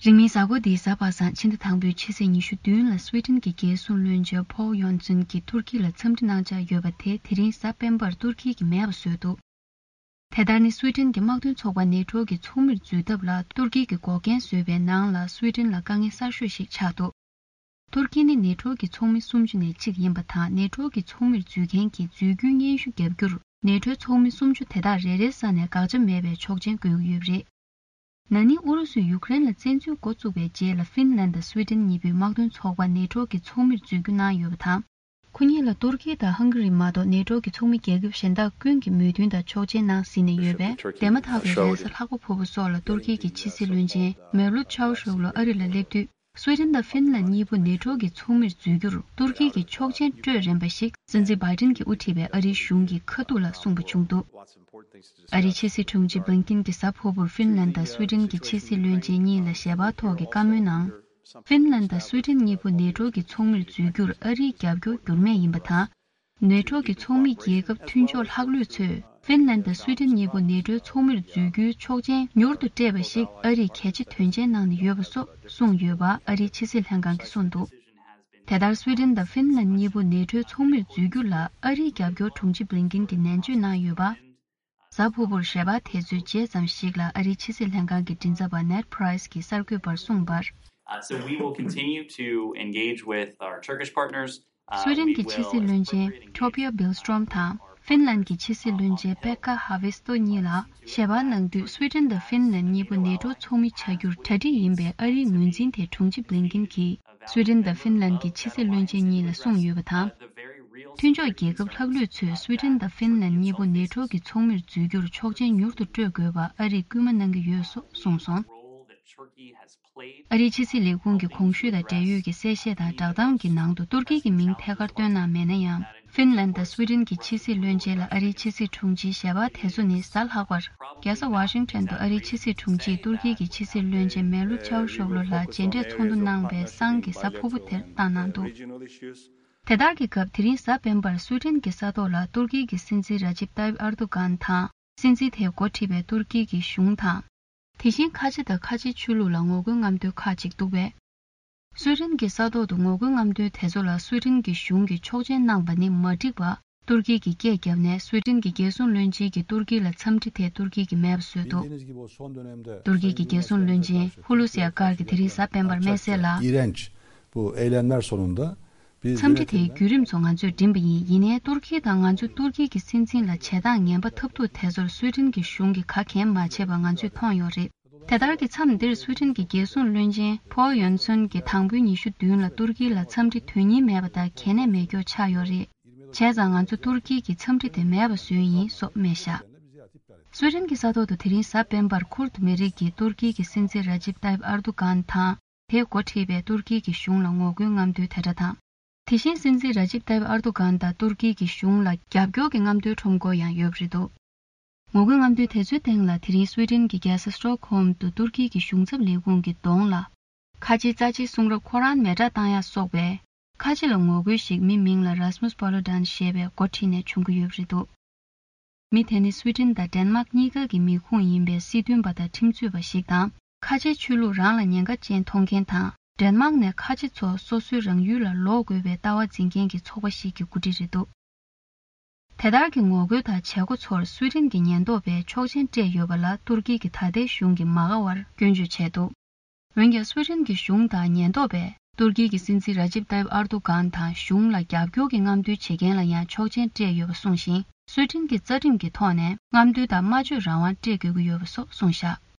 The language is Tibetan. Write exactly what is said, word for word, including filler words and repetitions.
རིང་མིན་གཟའ་འཁོར་འདིའི་གཟའ་པ་སངས་ཕྱི་ཟླ་དང་པོའི་ཕྱི་ཚེས་ཉི་ཤུ་བདུན་ལ་སུའེ་ཏེན་གྱི་རྒྱལ་སྲུང་བློན་ཆེན་ཕོལ་ཡོན་སུན་གྱིས་ཏུར་ཀི་ལ་འཚམས་འདྲི་གནང་འཆར་ཡོད་པ་དེ་དེ་རིང་གཟའ་སྤེན་པར་ཏུར་ཀི་གིས་མེད་པ་བཟོས་འདུག་དེ་ལྟར་ནི་སུའེ་ཏེན་གྱི་དམག་དོན་ཚོགས་པ་ནེ་ཊོ་གི་ཚོགས་མིར་འཛུལ་ཐབས་ལ་ཏུར་ཀི་གིས་འགོག་རྐྱེན་བཟོས་པའི་ནང་ལ་སུའེ་ཏེན་ལ་དཀའ་ངལ་གསར་ཤོས་ཤིག་ཆགས་འདུག་ཏུར་ཀི་ནི་ནེ་ཊོ་གི་ཚོགས་མི་སུམ་ཅུ་ནས་གཅིག་ཡིན་པ་དང་། ནེ་ཊོ་གི་ཚོགས་མིར་འཛུལ་མཁན་གྱི་འཛུལ་རྒྱུའི་སྙན་ཞུ་བརྒྱབ་རྒྱུར་ནེ་ཊོའི་ཚོགས་མི་སུམ་ཅུ་དེ་དག་རེ་རེའི་ས་ནས་དགག་བྱ་མེད་པའི་ཆོག་མཆན་དགོས་ཀྱི་ཡོད་པ་རེད། ན་ནིང་ཨུ་རུ་སུས་ཡུཀ་རེན་ལ་བཙན་འཛུལ་འགོ་བཙུགས་པའི་རྗེས་ལ་ཧྥིན་ལན་དང་སུའེ་ཏེན་གཉིས་པོས་དམག་དོན་ཚོགས་པ་ནེ་ཊོ་གི་ཚོགས་མིར་འཛུལ་རྒྱུ་གནང་ཡོད་པ་དང་། ཁོ་གཉིས་ལ་ཏུར་ཀི་དང་ཧང་ག་རི་མ་གཏོགས་ནེ་ཊོ་གི་ཚོགས་མི་རྒྱལ་ཁབ་གཞན་དག་ཀུན་གྱིས་མོས་མཐུན་དང་ཆོག་མཆན་གནང་ཟིན་ནས་ཡོད་པས། དེ་མ་ཐག་གི་རེས་གཟའ་ལྷག་པ་ཕུར་བུ་སོགས་ལ་ཏུར་ཀི་གི་ཕྱི་སྲིད་བློན་ཆེན་མེ་ལུད་ཆའུ་ཤོག་ལུ་ཨ་རི་ལ་སླེབས་དུས། སུའེ་ཏེན་དང་ཧྥིན་ལན་གཉིས་པོ་ནེ་ཊོ་གི་ཚོགས་མིར་འཛུལ་རྒྱུར་ཏུར་ཀི་གིས་ཆོག་མཆན་སྤྲོད་རན་པ་ཞིག་སྲིད་འཛིན་བྷའི་ཏིན་གྱིས་དབུ་ཁྲིད་པའི་ཨ་རིའི་གཞུང་གིས་ཁ་ཐུག་ལ་གསུངས་པ་བྱུང་འདུག་ཨ་རིའི་ཕྱི་སྲིད་དྲུང་ཆེ་བྷིན་ཀིན་གྱིས་གཟའ་ཕུར་བུར་ཧྥིན་ལན་དང་སུའེ་ཏེན་གྱི་ཕྱི་སྲིད་བློན་ཆེན་གཉིས་ལ་ཞལ་པར་ཐོག་གི་བཀའ་མོལ་ནང་། ཧྥིན་ལན་དང་སུའེ་ཏེན་གཉིས་པོ་ནེ་ཊོ་གི་ཚོགས་མིར་འཛུལ་རྒྱུར་ཨ་རིའི་རྒྱབ་སྐྱོར་འགྱུར་མེད་ཡིན་པ་དང་། ནེ་ཊོ་གི་ཚོགས་མི་རྒྱལ་ཁབ་མཐུན་ཕྱོགས་ལྷག་ལུས་ཚོས་ཧྥིན་ལན་དང་སུའེ་ཏེན་གཉིས་པོ་ནེ་ཊོའི་ཚོགས་མིར་འཛུལ་རྒྱུའི་ཆོག་མཆན་མྱུར་དུ་སྤྲད་པ་ཞིག་ཨ་རིས་གལ་ཆེ་དོན་ཆེན་གནང་ནས་ཡོད་པ་སོགས་གསུངས་ཡོད་པ་ཨ་རིའི་ཕྱི་སྲིད་ལྷན་ཁང་གིས་གསུངས་འདུག་དེ་ལྟར་སུའེ་ཏེན་དང་ཧྥིན་ལན་གཉིས་པོ་ནེ་ཊོའི་ཚོགས་མིར་འཛུལ་རྒྱུ་ལ་ཨ་རིའི་རྒྱབ་སྐྱོར་དྲུང་ཆེ་བྷིན་ཀིན་གྱིས་ནན་བརྗོད་གནང་ཡོད་པ། གཟའ་ཕུར་བུར་ཞལ་པར་དེ་ཚོའི་རྗེས་ཙམ་ཞིག་ལ་ཨ་རིའི་ཕྱི་སྲིད་ལྷན་ཁང་གི་མགྲིན་ཚབ་པ་ནེཌ་པྲའི་སི་གིས་གསར་འགོད་པར་གསུངས་པར། Uh, so we will continue to engage with our Turkish partners. Uh, སུའེ་ཏེན་གྱི་ཕྱི་སྲིད་བློན་ཆེན་ཊོ་བི་ཡ་བིལ་སི་ཊོམ་དང་ཧྥིན་ལན་གྱི་ཕྱི་སྲིད་བློན་ཆེན་པེ་ཀ་ཧ་ཝེ་སི་ཏོ་གཉིས་ལ་ཞལ་པར་གནང་དུས། སུའེ་ཏེན་དང་ཧྥིན་ལན་གཉིས་པོ་ནེ་ཊོ་ཚོགས་མི་བྱ་རྒྱུར་གྲ་སྒྲིག་ཡིན་པའི་ཨ་རིའི་ངོས་འཛིན་དེ་དྲུང་ཆེ་བྷིན་ཀིན་གྱིས་སུའེ་ཏེན་དང་ཧྥིན་ལན་གྱི་ཕྱི་སྲིད་བློན་ཆེན་གཉིས་ལ་གསུངས་ཡོད་པ་དང་། མཐུན་ཕྱོགས་རྒྱལ་ཁབ་ལྷག་ལུས་ཚོས་སུའེ་ཏེན་དང་ཧྥིན་ལན་གཉིས་པོ་ནེ་ཊོ་གི་ཚོགས་མིར་འཛུལ་རྒྱུར་ཆོག་མཆན་མྱུར་དུ་སྤྲོད་དགོས་པ་ཨ་རིས་སྐུལ་མ་གནང་གི་ཡོད་སོགས་གསུངས་སོང་། ཨ་རིའི་ཕྱི་སྲིད་ལས་ཁུངས་ཀྱི་གོང་ཞུས་དང་འབྲེལ་ཡོད་ཀྱི་གསལ་བཤད་དང་བསྒྲགས་གཏམ་གྱི་ནང་དུ་ཏུར་ཀི་གི་མིང་ཐད་ཀར་བཏོན་གནང་མེད་ན་ཡང་། ཧྥིན་ལན་དང་སུའེ་ཏེན་གྱི་ཕྱི་སྲིད་བློན་ཆེན་ལ་ཨ་རིའི་ཕྱི་སྲིད་དྲུང་ཆེའི་ཞལ་པར་དེ་ཚོ་ནི་གཟའ་ལྷག་པར་རྒྱལ་ས་ཝ་ཤིང་ཊོན་དུ་ཨ་རིའི་ཕྱི་སྲིད་དྲུང་ཆེས་ཏུར་ཀི་གི་ཕྱི་སྲིད་བློན་ཆེན་མེ་ལུད་ཆའུ་ཤོག་ལུ་ལ་མཇལ་འཕྲད་ཚོགས་འདུ་གནང་བའི་སང་གི་གཟའ་ཕུར་བུ་དེར་བཏང་གནང་འདུག་དེ་ལྟར་གྱི་སྐབས། དེ་རིང་གཟའ་སྤེན་པར་སུའེ་ཏེན་གྱི་ས་ཐོག་ལ་ཏུར་ཀི་གི་སྲིད་འཛིན་ར་ཇིབ་ཏཱ་ཡིབ་ཨར་དུ་གྷན་དང་། སྲིད་འཛིན་དེས་འགོ་ཁྲིད་པའི་ཏུར་ཀི་གི་གཞུང་དང་། དེ་བཞིན་ཁ་ཆེ་དང་ཁ་ཆེའི་ཆོས་ལུགས་ལ་ངོ་རྒོལ་རྔམ་སྟོན་ཁག་ཅིག་འདུག་པས། སུའེ་ཏེན་གྱི་ས་ཐོག་ཏུ་ངོ་རྒོལ་རྔམ་སྟོན་དེ་ཚོ་ལ་སུའེ་ཏེན་གྱི་གཞུང་གིས་ཆོག་མཆན་གནང་བ་ནི་མ་འགྲིག་པ། ཏུར་ཀི་གིས་སྐད་བརྒྱབ་ནས། སུའེ་ཏེན་གྱི་རྒྱལ་སྲུང་བློན་ཆེན་གྱིས་ཏུར་ཀི་ལ་འཚམས་འདྲི་དེ་ཏུར་ཀི་གིས་མེད་པ་བཟོས་འདུག་ཏུར་ཀི་གི་རྒྱལ་སྲུང་བློན་ཆེན་ཧུ་ལུ་སི་ཨ་ཀར་གྱིས་དེ་རིང་གཟའ་སྤེན་པར་སྨྲས་གསལ་ལ། İğrenç bu eylemler sonunda འཚམས་འདྲི་དེའི་བརྒྱུད་རིམ་ཚོ་ང་ཚོས་འགྲིམས་པ་ཡིན། ཡིན་ནའི་ཏུར་ཀི་དང་ང་ཚོ་ཏུར་ཀི་གི་སྲིད་འཛིན་ལ་བྱེད་སྟངས་ངན་པ་འཐབ་འདུག་དེ་ཚོར་སུའེ་ཏེན་གྱི་གཞུང་གིས་ག་གེ་མ་བྱས་པ་ང་ཚོས་མཐོང་ཡོད་རེད། དེ་ལྟར་གྱི་མཚམས་འདིར་སུའེ་ཏེན་གྱི་རྒྱལ་སྲུང་བློན་ཆེན་ཕོལ་ཡོན་སོན་གྱིས་དང་པོའི་ཉི་ཤུ་བདུན་ལ་ཏུར་ཀི་ལ་འཚམས་འདྲི་དོན་སྙིང་མེད་པ་དང་གལ་གནད་མེད་སྐྱོ་ཆགས་ཡོད་རེད། བྱས་ཙང་ང་ཚོ་ཏུར་ཀི་གིས་འཚམས་འདྲི་དེ་མེད་པ་བཟོས་ཡིན་སོགས་སྨྲས་བཞག་སུའེ་ཏེན་གྱི་ས་ཐོག་ཏུ་དེ་རིང་གཟའ་སྤེན་པར་ཁུར་ཏུ་མི་རིགས་ཀྱིས་ཏུར་ཀི་གི་སྲིད་འཛིན་ར་ཇིབ་ཏཱ་ཡིབ་ཨར་དུ་གྷན་དང་། དེས་འགོ་ཁྲིད་པའི་ཏུར་ཀི་གི་གཞུང་ལ་ངོ་རྒོལ་རྔམ་སྟོན་དེ་འདྲ་དང་། དེ་བཞིན་སྲིད་འཛིན་ར་ཇིབ་ཏཱ་ཡིབ་ཨར་དུ་གྷན་དང་ཏུར་ཀི་གི་གཞུང་ལ་རྒྱབ་སྐྱོར་གྱི་རྔམ་སྟོན་ཁྲོམ་སྐོར་ཡང་ཡོད་པ་རེད་འདུག་ངོ་རྒོལ་རྔམ་སྟོན་དེ་ཚོའི་སྟེང་ལ་དེ་རིང་སུའེ་ཏེན་གྱི་རྒྱལ་ས་སི་ཊོག་ཧོམ་དུ་ཏུར་ཀི་གི་གཞུང་ཚབ་ལས་ཁུངས་ཀྱི་གདོང་ལ། ཁ་ཆེའི་རྩ་ཆེའི་གསུང་རབ་ཁོ་རང་མེ་སྲེག་བཏང་ཡག་སོགས་པའི་ཁ་ཆེ་ལ་ངོ་རྒོལ་ཞིག་མི་མིང་ལ་རཱས་མུས་པོ་ལོ་ཌན་ཞེས་པས་འགོ་ཁྲིད་ནས་བྱུང་གི་ཡོད་པ་རེད་འདུག་མི་དེ་ནི་སུའེ་ཏེན་དང་ཌེན་མཱག་གཉིས་ཀ་གི་མི་ཁུངས་ཡིན་པའི་སྲིད་དོན་པ་དང་ཁྲིམས་རྩོད་པ་ཞིག་དང་། ཁ་ཆེའི་ཆོས་ལུགས་རང་ལ་ཉེན་ཁ་ཅན་མཐོང་མཁན་དང་། ཌེན་མཱག་ནས་ཁ་ཆེ་ཚོ་སོ་སོའི་རང་ཡུལ་ལ་ལོག་དགོས་པའི་ལྟ་བ་འཛིན་མཁན་གྱི་ཚོགས་པ་ཞིག་གི་འགོ་ཁྲིད་རེད་འདུག་དེ་ལྟར་གྱི་ངོ་རྒོལ་དང་བྱེད་སྒོ་ཚོར་སུའེ་ཏེན་གྱི་ཉེན་རྟོག་པས་ཆོག་མཆན་སྤྲད་ཡོད་པ་ལ་ཏུར་ཀི་གིས་ད་ལྟའི་གཞུང་གིས་མ་དགའ་བར་སྐྱོན་བརྗོད་བྱས་འདུག་འོན་ཀྱང་སུའེ་ཏེན་གྱི་གཞུང་དང་ཉེན་རྟོག་པས་ཏུར་ཀི་གི་སྲིད་འཛིན་ར་ཇིབ་ཏཱ་ཡིབ་ཨར་དུ་གྷན་དང་གཞུང་ལ་རྒྱབ་སྐྱོར་གྱི་རྔམ་སྟོན་བྱེད་མཁན་ལ་ཡང་ཆོག་མཆན་སྤྲད་ཡོད་པ་གསུངས་ཤིང་། སུའེ་ཏེན་གྱི་རྩ་ཁྲིམས་ཀྱི་ཐོག་ནས་རྔམ་སྟོན་དང་སྨྲ་བརྗོད་རང་དབང་སྤྲད་དགོས་ཀྱི་ཡོད་པ་སོགས་གསུངས་བཞག